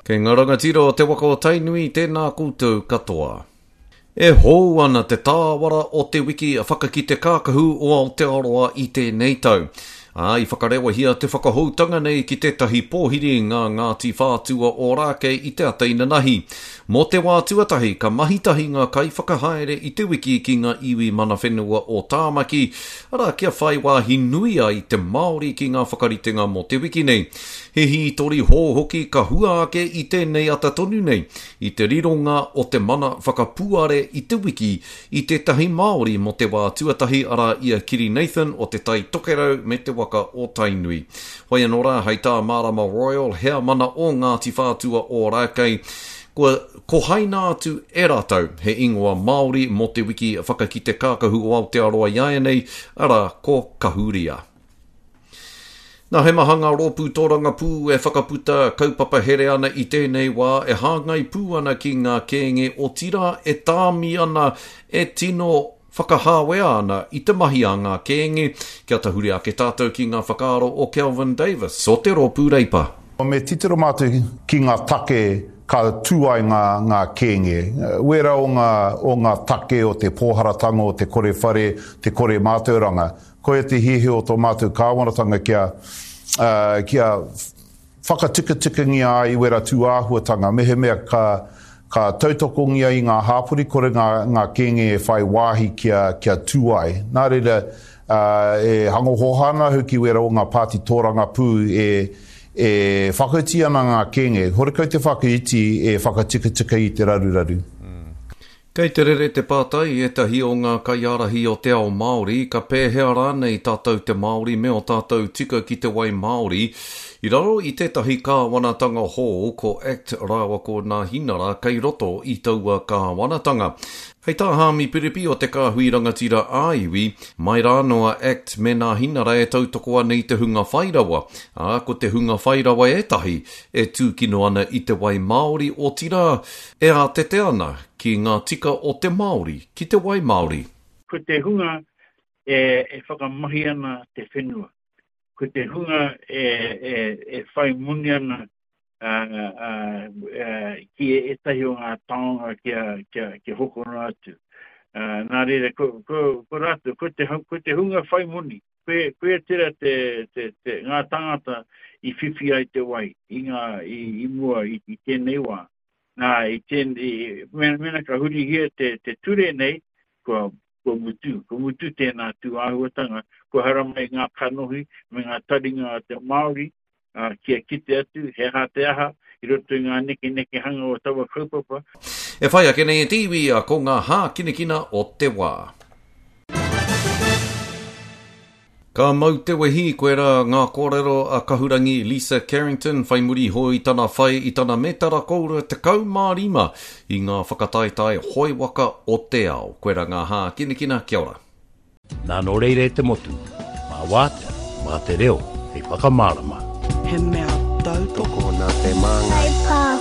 Kei ngā rangatira o te waka o Tainui, tēnā koutou katoa. E hou ana te tāwara o te wiki whakakite kākahu o Aotearoa i tēnei tau. Ā, i whakarewahia te whakahoutanga nei ki tētahi pōhiri ngā Ngāti Whātua Ōrākei i te ata inanahi. Mō te wā tuatahi, ka mahi tahi ngā kaiwhakahaere i te wiki ki ngā iwi mana whenua o Tāmaki, arā, kia whai wāhi nui ai te Māori ki ngā whakaritenga mō te wiki nei. He hītori hou hoki ka hua ake i tēnei ata tonu nei, i te rironga o te mana whakapuare i te wiki i tētahi Māori mō te wā tuatahi arā i a Kiri Nathan o Te Tai Tokerau me te waka o Tainui. Whai anō rā, hei tā Mārama Royal, heamana o Ngāti Whātua Ōrākei, kua kohaina atu e rātou he ingoa Māori mō te wiki whakakite kākahu o Aotearoa iāianei, arā, ko Kahuria. Nā, he maha ngā rōpū tōrangapū e whakaputa kaupapa here ana i tēnei wā e hāngai pū ana ki ngā kēnge, otirā e tāmi ana, e tino whakahāwea ana i te mahi a ngā kēnge. Kia tahuri ake tātou ki ngā whakaaro o Kelvin Davis o te Rōpū Reipa. Me titiro mātou ki ngā take ka tū ai ngā, ngā kēnge. Wērā o ngā, o ngā take o te pōharatanga, o te kore whare, te kore mātauranga. Koia te hiahia o tō mātou kāwanatanga kia, kia whakatikatikangia ai wera tūāhuatanga, mehemea ka, ka tautokongia i ngā hāpori, kore ngā, ngā kēnge e whai wāhi kia, kia tū ai. Nā reira, e hango hōhā ana ahau ki wera o ngā pāti tōrangapū e, e whakaiti ana ngā kēnge, horekau te whakaiti e whakatikatika i te raruraru. Kei te rere te pātai i ētahi o ngā kaiārahi o te ao Māori, ka pēhea rānei tātou te Māori me ō tātou tika ki te wai Māori i raro i tētahi kāwanatanga hou ko act rāua ko Nāhinara kei roto i taua kāwanatanga. Hei tā Haami Piripi o te Kāhui Rangatira ā-Iwi, mai rānō a act me Nāhinara e tautoko ana i te hunga whairawa, ā, ko te hunga whairawa ētahi e tūkino ana i te wai Māori, otirā, E ātete ana ki ngā tika o te Māori ki te wai Māori. Ko te hunga e whakamahi ana te whenua, ko te hunga e whai moni ana ki ētahi o ngā taonga kia hokona atu. Nā reira, ko rātou, ko te hunga whai moni, koia tērā ngā tāngata i whiwhi ai te wai i mua i tēnei wā. Nā, i tēnei, mēnā ka hurihia te, te ture nei, kua, kua mutu, kua mutu tēnā tū āhuatanga, kua haramai ngā kanohi me ngā taringa a te Māori, ā, kia kite atu he aha te aha i roto i ngā nekenekehanga o taua kaupapa. E whai ake nei e te iwi ko ngā hākinakina o te wā. Ka mau te wehi, koirā ngā kōrero a Kahurangi Lisa Carrington whai muri iho i tana whai i tana mētara koura 15 i ngā whakataetae hoe waka o te ao. Koirā ngā hākinakina, kia ora. Nā nō reira e te motu, mā Wātea, mā te reo hei whakamārama. He mea tautoko. Tokona te māngai.